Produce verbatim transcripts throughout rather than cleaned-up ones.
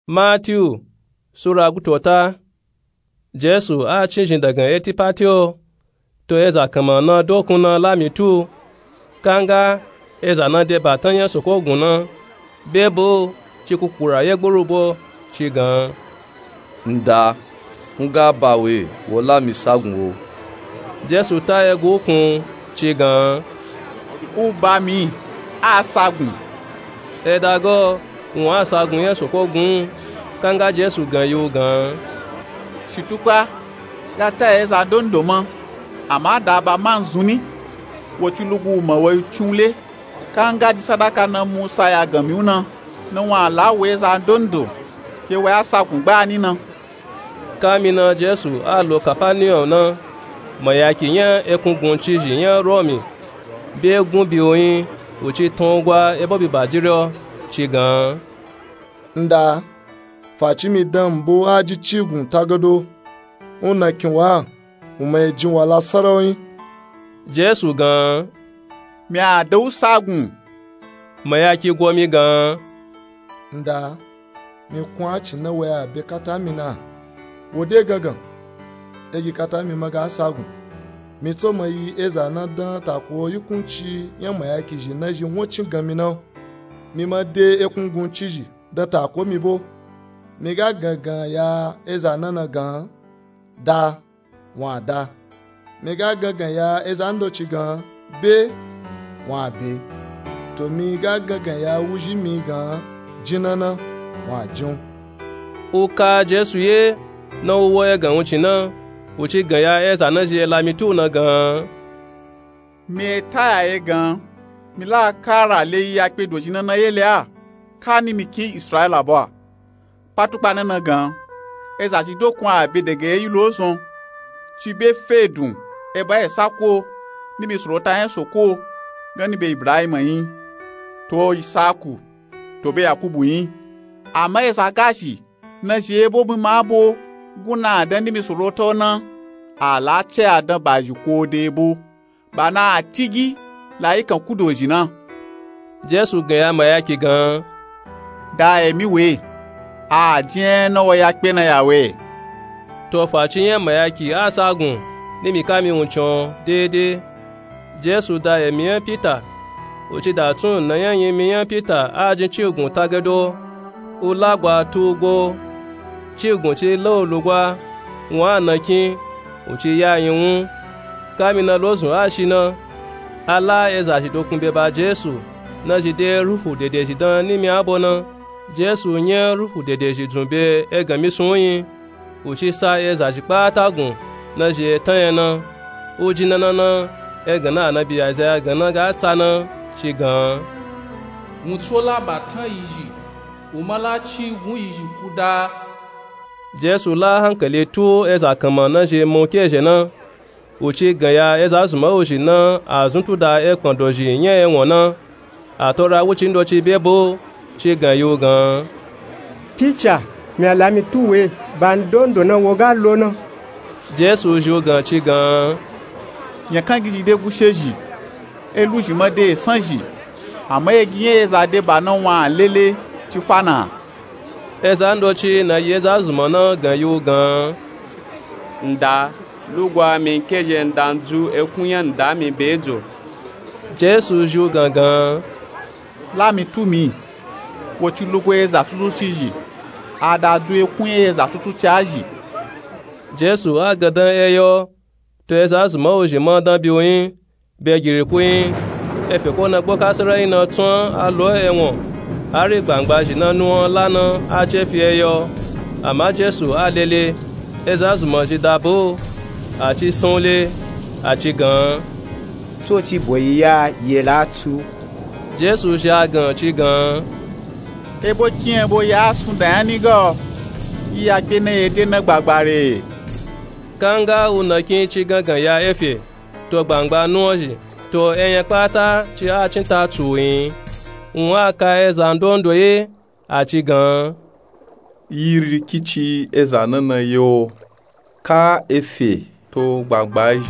Matiyu sura gutota. Jesu a cin zhin dangan eti pati o, to eza kanman na dokun na lami tu. Kanga eza na de batan nya soko gun na, be bo ci kukura ye gburu bo, ci gan, nda, nga ba we wo lami sagun o. Jesu ta egu kun, ci gan, u ba mi, a sagun. Eda go wun a sagun ye soko gun. Kanga Jesu gan yi u gan, shitukpa, ga ta eza dondo ma, ama da ba ma nzun ni, wo ci lugu ma wo yi cun le. Kanga di sadaka na musa ya gan mi u na, na wun a la wo eza dondo ke wo ya sagun gba ni na. Kami na Jesu a lo Kapaniyom na, mayaki nya ekun gun cizhi nya Romi be gun bi u yin, u ci tan u gwa ebo bi bajiri o, ci gan, nda, faci mi dan mbo a ji cigun tagado, u na kin wa u ma yi jin wala sarawi. Jesu gan, mi a da u sagun. Mayaki go mi gan, nda, mi kun a cin na wo ya be kata mi na, wo de gangan, egi kata mi ma ga sagun. Mi tso ma yi eza na dan tako yi kunci nya mayaki zhi na zhi won cin gan mi na, mi ma de ekun gun cizhi dan tako mi bo. Mi ga gangan ya eza na na gan, da, wun a da. Mi ga gangan ya eza ndoci gan, be, wun a be. To mi ga gangan ya wuzhi mi gan, jin na na, wun a jin u. U ka Jesu ye na u wo egan wuncin na, u ci gan ya eza na zhi e lami tu na gan, mi e ta ya ye gan, mi la kara le yi ya kpe dozhi na na ye le a, ka ni mi kin Israila bo a. Patukpa na na gan, eza ci dokun a be dege yi lo zon, ci be fe dun, e ba e sako, ni mi sorota nya soko, gan ni be Ibrahim yin, to Isaku, to be Yakubu yin. Ama eza ga zhi na zhi ebo mi ma bo gun na dan ni mi sorota o na, a la ce a dan ba zhi ko de ebo. Ba na a tigi la yi kan ku dozhi na. Jesu gan ya mayaki gan, da emi we, a jin na wo ya kpe na ya we. To faci nya mayaki a sagun ni mi kami wuncin o dede. Jesu da emi nya Pita, u ci da tun na nya yin mi nya Pita a jin cigun tagado, u lagwa tu u go. Cigun ci la u lugwa, wun a na kin, u ci ya yin wun. Kami na lozun a shi na, a la eza zhi dokun be ba Jesu, na zhi de ruhu dede zhi dan ni mi a bo na. Jesu nya ruhu dede zhi dzun be egan mi sun u yin, u ci sa eza zhi kpata gun na zhi e tan nya na. U jin na na na, egan na Anabi Izaya gan na ga tsa na, ci gan, wun tso la ba tan yi zhi, u ma la cigun yi zhi ku da. Jesu la hankali tu eza kanman na zhi mun ke zhe na, u ci gan ya eza zunma u zhi na a zun tu da ekpan dozhi nya ewon na. A to ra wuci ndoci be bo, ci gan yi u gan, Tica, mi a lami tu we, ba ndondo na wo ga lo na. Jesu zhi u gan ci gan, nyakan gi zhi de gushe zhi, e lu zhi ma de esan zhi, ama egi nya eza de ba na wun a lele ci fa na. Eza ndoci na yi eza zunma na gan yi u gan, nda, lugwa mi ke zhe nda ndzu ekun nya nda mi be dzo. Jesu zhi u gan gan, lami tu mi, wo ci lugu eza tutuci zhi, a da dzu ekun nya eza tutuci a zhi. Jesu a gandan eyo, to eza zunma u zhi ma dan bi u yin, be giri ku yin, efe ko na gbo kasara yin na tsun a lo ewon, hari gbangba zhi na nuwan la na a ce fi eyo. Ama Jesu a lele, eza zunma zhi da bo, a ci san u le, a ci gan, tso ci bo yi ya ye la tsu. Jesu zhi a gan ci gan, ebo kin ebo ya sun da nya ni ga o, yi ya kpe na ye de na gbagba re. Kanga u na kin ci gangan ya efe, to gbangba nuwan zhi, to eyan kpata ci a cin ta tsu u yin. Wun a ka eza ndondo ye, a ci gan, yi ri kici eza na na ye o, ka efe to gbangba zhi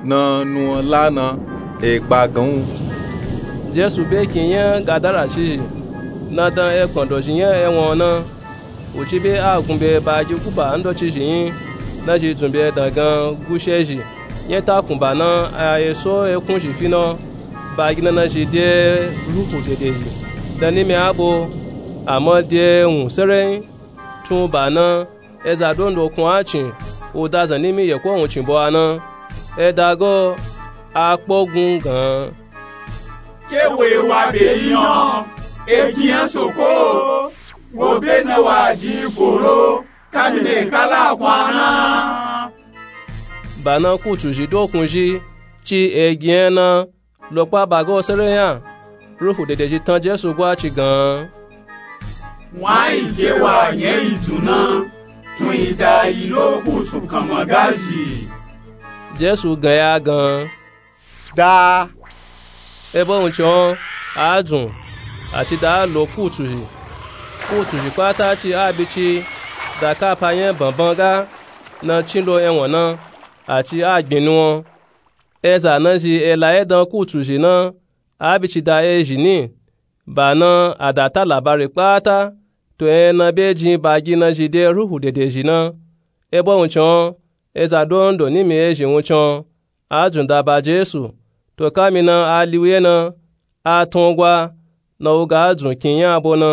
na nuwan la na, e gba gan u. Jesu be kin nya Gadara ci zhi, na dan ekpan dozhi nya ewon na. Uci be a gun be bagi guba ndocizhi nyi nazhi dzun be dan gan gushezhi nyeta kunba na a eso ekun zhi fi na. Bagi na nazhi de ruhu dedezhi dan nimi abo, ama de wun serenyi. Tun ba na eza ndondo kun a cin uda zan nimi yeko wun cin bo a na. Eda go a kpogun gan. Ke wo ewa be yi na, egin a soko wo be na wa jin foro kami na ekala kun a na. Ba na kutu zhi dokun zhi ci egin a na lokpa ba go serenyi a. Ruhu dedezhi tan jesu gwa ci gan. Wan a yi ke wa nya yi dzun na tun yi da yi lo kutu kanma gazhi. Jesu gan ya gan. Da. Ebo wuncin a dzun a ci da a lo kutu zhi. Kutu zhi kpata ci a bi ci da kapa nya banban ga na cin lo ewan na a ci a gbin nuwan. Eza nazhi ela edan kutu zhi na a bi ci da ezhi ni. Ba na a da ta labari kpata to ena be jin bagi nazhi de ruhu dedezhi na. Ebo wuncin eza ndondo nimi ezhi wuncin a dzun da ba jesu. To kami na a liuye na a tun gwa na uga a dzun kin nya abo na.